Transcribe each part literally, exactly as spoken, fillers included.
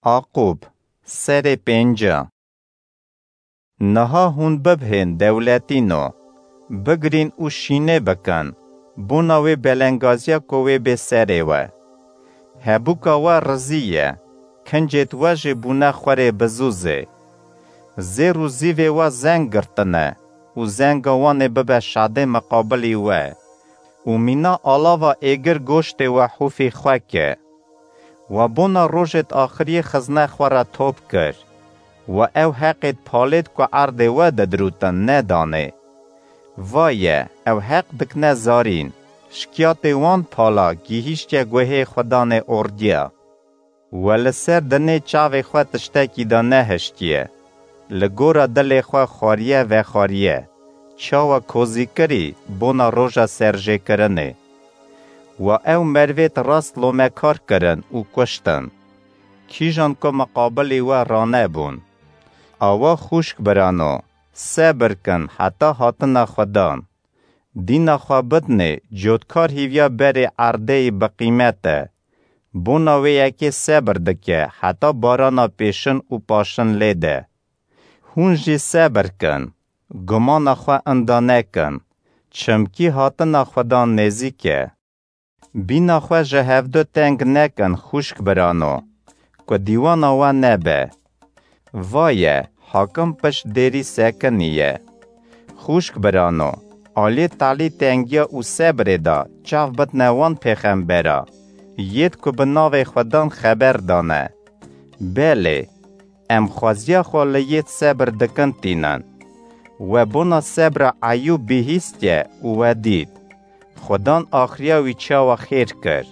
Aqûb, serê pênca. Niha hûn bibhên dewletîno, bigirîn û şînê bikin, bona wê belengaziya ku wê bê serê we. Hebûka we rizî ye, kincêt we jî bûne xwerê bizûzê. Zêr û zîvê we zeng girtine û zenga wan ê bibe şadê miqabilî we û mîna alava êgir goştê we hûfî xwe ke. We bona rojêt axiriyê xizne xwe re top kir. We ew heqêt palêt ku erdê we didirûtin nedanê. Vaye, ew heq dikine zarîn, şikiyatê wan pala gihîştiye guhê Xudanê ordiya. We li ser dinê çavê xwe tiştekî de nehiştiye. Li gora dilê xwe xwariye vexwariye. Çawa kozîkirî bona roja serjêkirinê. We ew mervêt rast lomekar kirin û kuştin. Kîjan ku miqabilî we ranebûn. Awa xûşk birano, sebir kin heta hatina Xudan. Dîna xwe bidinê, cotkar hîviya berê erdê yî biqîmet e. Bona wê yekê sebir dike, heta barana pêşin û paşin lê de. Hûn jî sebir kin, gumana xwe inda nekin, çimkî hatina Xudan nêzîk e. Bîna xwe ji hevdu teng nekin xûşk birano, ku dîwana we nebe. Vaye, hakim pişt dêrî sekiniye. Xûşk birano, aliyê talî tengiya û sebrê de çav bidine wan pêxembera, yêd ku bi navê Xudan xeber dane. Belê, em xweziya xwe li yêd sebir dikin tînin. We bona sebra Eyûb bihîstiye û we dît. Xudan axiriya wî çawa xêr kir.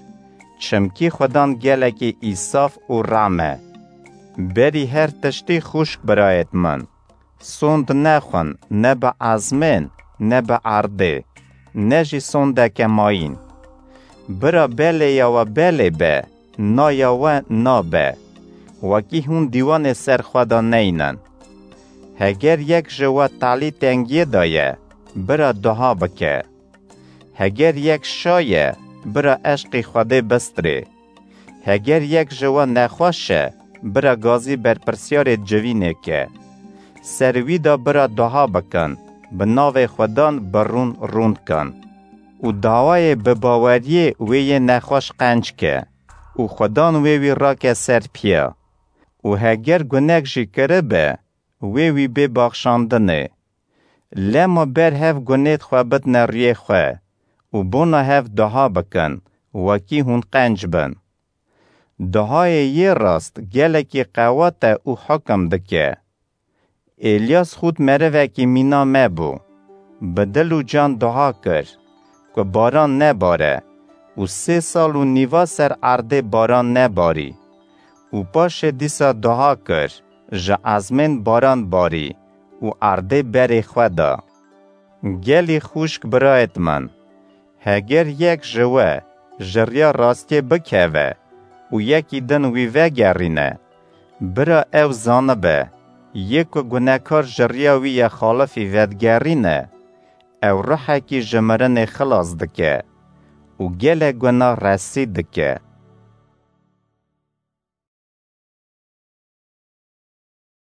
Çimkî Xudan gelekî îsaf û rem e. Berî her tiştî xûşk birayêt min. Sond nexwin ne bi ezmên, ne bi erdê, ne jî sondeke mayîn. Bira belê ya we belê be, na ya we na be. Wekî hûn dîwanê ser xwe de neynin. Heger yek ji we talî tengiyê de ye, bira duha bike. Heger yek şa ye, bira eşqî Xwedê bistirê. Heger yek ji we nexweş e, bira gazî berpirsiyarê civînê ke. Ser wî de bira duha bikin, bi navê Xudan bi rûn rûn kin. Û dawayê bi baweriyê wê yê nexweş qenc ke û Xudan wê wî rake ser piya. Û heger gunek jî kiribe, wê wî bê baxşandinê. Lema ber hev gunêt xwe bidine riyê xwe û bona hev duha bikin, wekî hûn qenc bin. Duhayê yê rast gelekî qewat e û hukim dike. Êlyas xût merivekî mîna me bû. Bi dil û can duha kir, ku baran nebare û sê sal û nîva ser erdê baran nebarî. Û paşê dîsa duha kir, ji ezmên baran barî û erdê berê xwe da. Gelî xûşk birayêt min, heger yek ji we ji riya rastiyê bikeve û yekî din wî vegerîne, bira ew zanibe, yê ku gunekar ji riya wî ya xalifî vedigerîne, ew ruhekî ji mirinê xilas dike û gelek guna resî dike.